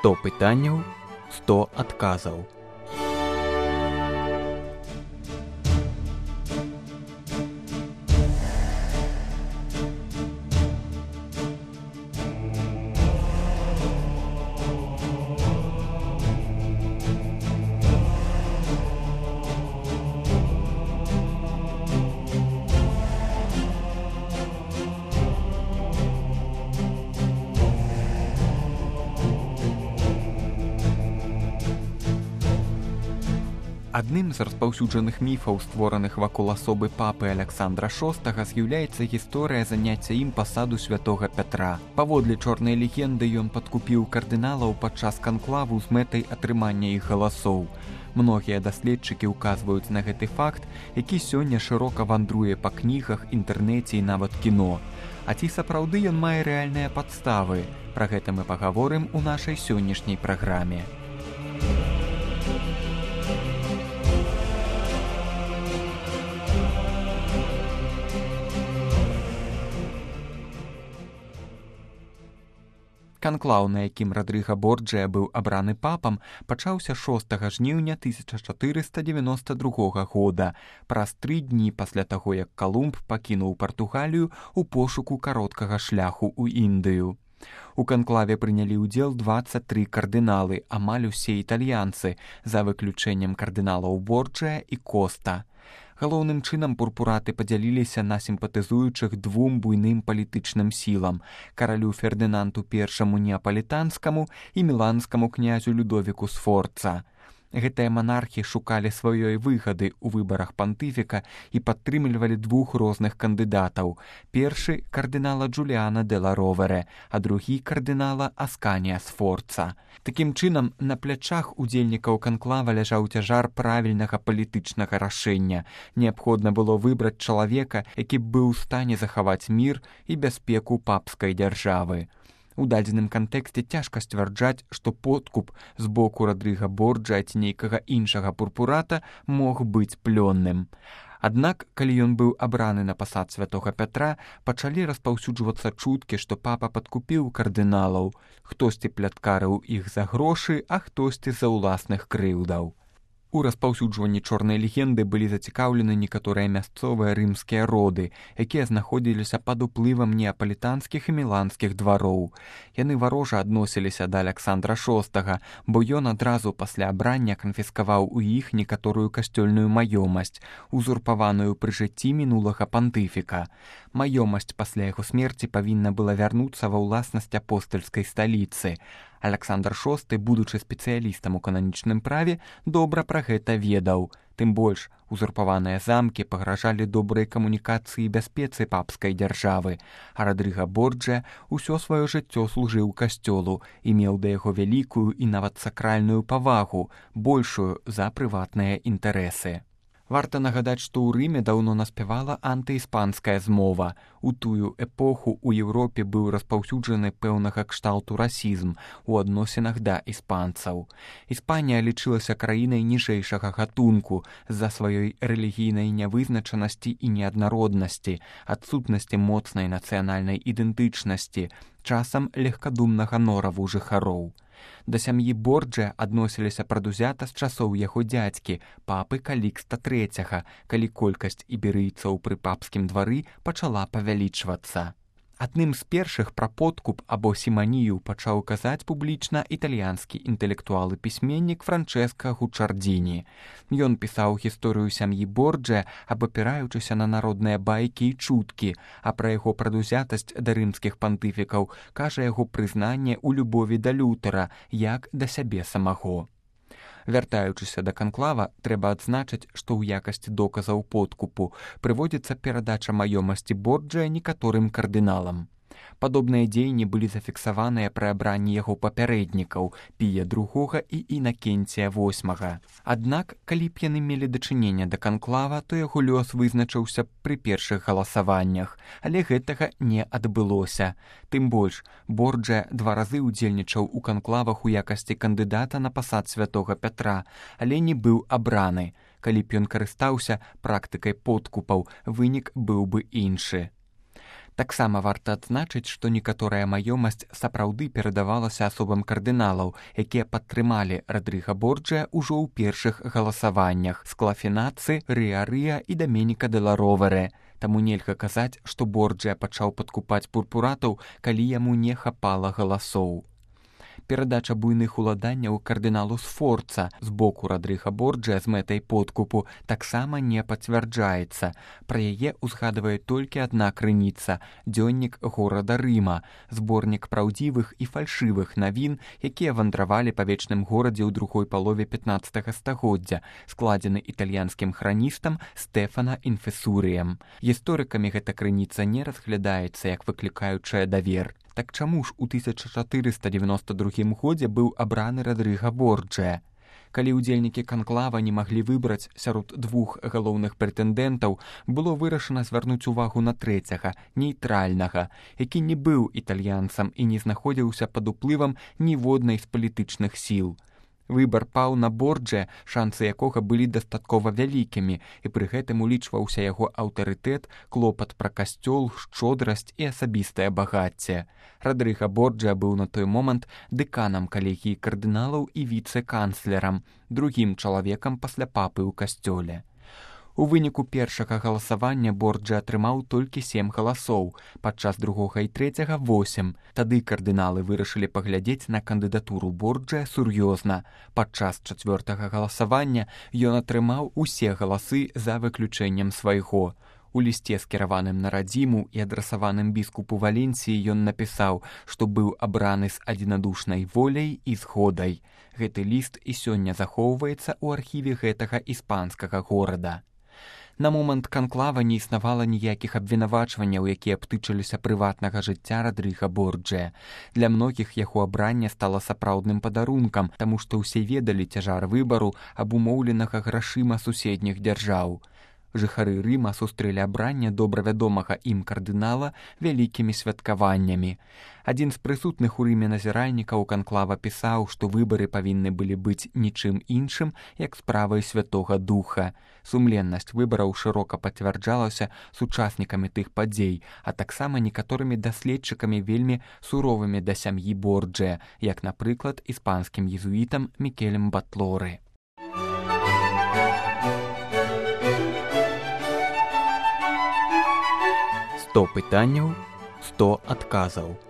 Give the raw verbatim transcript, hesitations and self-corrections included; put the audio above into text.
сто пытанняў, сто адказаў. Адным з распаўсюджаных міфаў, створаных вакол асобы папы Аляксандра шостага, з'яўляецца гісторыя заняцця ім пасаду святога Пятра. Паводле чорнай легенды, ён падкупіў кардыналаў падчас канклаву з мэтай атрымання іх галасоў. Многія даследчыкі ўказваюць на гэты факт, які сёння шырока вандруе па кнігах, інтэрнэце і нават кіно. А ці сапраўды ён мае рэальныя падставы? Пра гэта мы пагаворым у нашай сённяшняй праграме. Канклаў, на якім Радрыга Борджыя быў абраны папам, пачаўся шостага жніўня тысяча чатырыста дзевяноста другога года, праз тры дні пасля таго, як Калумб пакінуў Партугалію ў пошуку кароткага шляху ў Індыю. У канклаве прынялі ўдзел дваццаць тры кардыналы, амаль усе італьянцы, за выключэннем кардыналаў Борджыя і Коста. Галоўным чынам пурпураты падзяліліся на сімпатызуючых двум буйным палітычным сілам – каралю Фердынанду першаму неапалітанскаму і міланскаму князю Людовіку Сфорца. Гэтыя манархі шукалі сваёй выгады ў выбарах пантыфіка і падтрымлівалі двух розных кандыдатаў. Першы – кардынала Джуліана де ла Ровере, а другі – кардынала Асканія Сфорца. Такім чынам, на плячах удзельнікаў канклава ляжаў цяжар правільнага палітычнага рашэння. Неабходна было выбраць чалавека, які б быў у стане захаваць мір і бяспеку папскай дзяржавы. У дадзеным кантэксце цяжка сцвярджаць, што подкуп з боку Радрыга Борджыя ці нейкага іншага пурпурата мог быць плённым. Аднак, калі ён быў абраны на пасад святога Пятра, пачалі распаўсюджвацца чуткі, што папа падкупіў кардыналаў. Хтосьці пляткарыў іх за грошы, а хтосьці за ўласных крыўдаў. У распаўсюджванні чорнай легенды былі зацікаўлены некаторыя мясцовыя рымскія роды, якія знаходзіліся пад уплывам неапалітанскіх і міланскіх двароў. Яны варожа адносіліся да Аляксандра шостага, бо ён адразу пасля абрання канфіскаваў у іх некаторую касцёльную маёмасць, узурпаваную пры жыцці мінулага пантыфіка. Маёмасць пасля яго смерці павінна была вярнуцца ва ўласнасць апостальскай сталіцы. Аляксандр шосты, будучы спецыялістам у кананічным праве, добра пра гэта ведаў. Тым больш, узурпаваныя замкі пагражалі добрай камунікацыі і бяспецы папскай дзяржавы, а Радрыга Борджыя ўсё сваё жыццё служыў касцёлу і меў да яго вялікую і нават сакральную павагу, большую за прыватныя інтарэсы. Варта нагадаць, што ў Рыме даўно наспявала антыіспанская змова. У тую эпоху ў Еўропе быў распаўсюджаны пэўнага кшталту расізм у адносінах да іспанцаў. Іспанія лічылася краінай ніжэйшага гатунку з-за сваёй рэлігійнай нявызначанасці і неаднароднасці, адсутнасці моцнай нацыянальнай ідэнтычнасці, часам легкадумнага нораву жыхароў. Да сям'і Борджыя адносіліся прадузята з часоў яго дзядзькі, папы Калікста трэцяга, калі колькасць іберыйцаў пры папскім двары пачала павялічвацца. Адным з першых пра подкуп або сіманію пачаў казаць публічна італьянскі інтэлектуал і пісьменнік Франчэска Гучардзіні. Ён пісаў гісторыю сям'і Борджыя, абапіраючыся на народныя байкі і чуткі, а пра яго прадузятасць да рымскіх пантыфікаў кажа яго прызнанне ў любові да Лютера, як да сябе самаго. Вяртаючыся да канклава, трэба адзначыць, што ў якасці доказаў подкупу прыводзіцца перадача маёмасці Борджыя некаторым кардыналам. Падобныя дзеянні былі зафіксаваныя пры абранні яго папярэднікаў Пія другога і Інакенція восьмага. Аднак, калі б яны мелі дачыненне да канклава, то яго лёс вызначыўся пры першых галасаваннях, але гэтага не адбылося. Тым больш, Борджыя два разы ўдзельнічаў у канклавах у якасці кандыдата на пасад святога Пятра, але не быў абраны. Калі б ён карыстаўся практыкай подкупаў, вынік быў бы іншы. Таксама варта адзначыць, што некаторая маёмасць сапраўды перадавалася асобам кардыналаў, якія падтрымалі Радрыга Борджа ўжо ў першых галасаваннях – Склафінаци, Рыа-Рыа і Даменіка де ла Ровере. Таму нельга казаць, што Борджа пачаў падкупаць пурпуратаў, калі яму не хапала галасоў. Перадача буйных уладанняў кардыналу Сфорца з боку Радрыга Борджа з мэтай подкупу таксама не пацвярджаецца. Пра яе ўзгадвае толькі адна крыніца – дзённік горада Рыма, зборнік праўдзівых і фальшывых навін, якія вандравалі па вечным горадзе ў другой палове пятнаццатага стагоддзя, складзены італьянскім храністам Стэфана Інфесурыем. Гісторыкамі гэта крыніца не разглядаецца як выклікаючая давер. Так чаму ж у тысяча чатырыста дзевяноста другім годзе быў абраны Радрыга Борджа? Калі ўдзельнікі канклава не маглі выбраць сярод двух галоўных прэтэндэнтаў, было вырашана звярнуць увагу на трэцяга, нейтральнага, які не быў італьянцам і не знаходзіўся пад уплывам ніводнай з палітычных сіл. Выбар паў на Борджа, шансы якога былі дастаткова вялікімі, і пры гэтым улічваўся яго аўтарытэт, клопат пра касцёл, шчодрасць і асабістае багацце. Радрыга Борджа быў на той момант дэканам калегіі кардыналаў і віцэ-канцлерам, другім чалавекам пасля папы ў касцёле. У выніку першага галасавання Борджа атрымаў толькі сем галасоў, падчас другога і трэцяга восем. Тады кардыналы вырашылі паглядзець на кандыдатуру Борджа сур'ёзна. Падчас чацвёртага галасавання ён атрымаў усе галасы за выключэннем свайго. У лісце, скіраваным на радзіму і адрасаваным біскупу Валенсіі, ён напісаў, што быў абраны з адзінадушнай воляй і згодай. Гэты ліст і сёння захоўваецца ў архіве гэтага іспанскага горада. На момант канклава не існавала ніякіх абвінавачванняў, якія б тычыліся прыватнага жыцця Радрыга Борджа. Для многіх яго абранне стала сапраўдным падарункам, таму што ўсе ведалі цяжар выбару, абумоўленага грашыма суседніх дзяржаў. Жыхары Рыма сустрэлі абранне добра вядомага ім кардынала вялікімі святкаваннямі. Адзін з прысутных у Рыме назіральнікаў канклава пісаў, што выбары павінны былі быць нічым іншым, як справай Святога Духа. Сумленнасць выбараў шырока пацвярджалася сучаснікамі тых падзей, а таксама некаторымі даследчыкамі вельмі суровымі да сям'і Борджа, як, напрыклад, іспанскім езуітам Мікелем Батлоры. сто пытанняў, сто адказаў.